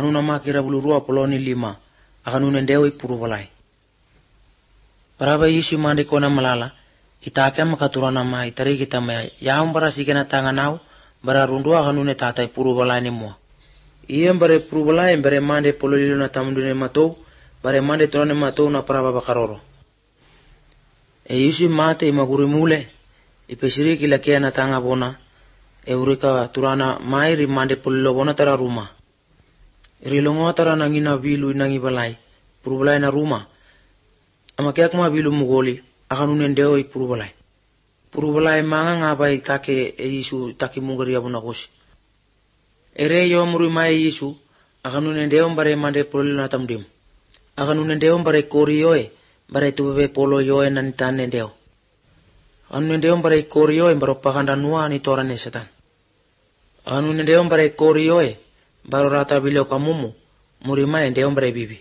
kanuna makira bulurua poloni 5 akanune ndeo ipuru balai. Baraba Yesu mandi kona malala itake makaturana ma itari kita ma yaum bara sikena tanganau bara rundua akanune tata ipuru balai ni mua. Iya bare ipuru balai bare mande pololilo na tamundune matou bare mande torane matou na paraba bakaroro. Yesu mate imaguri mule ipesiri kila kia na tanga bona eureka turana mairi mande polilo bona tara rumah. Rilongo tara nangina vilu nangi balai purbalai na rumah amakiak ma vilu mugoli akanune ndeo i purbalai manga ngabai take Yesu take mungari abuna kosi ere yo muri mai Yesu akanune ndeo bare mande polilo na tamdim akanune ndeo bare korioe bare tubebe polo yoe nan tane ndeo akanune ndeo bare korioe baro pakanda nuwa ni torane setan akanune ndeo bare korioe baro rata bilio kamumu muri mai ndeo bare bibi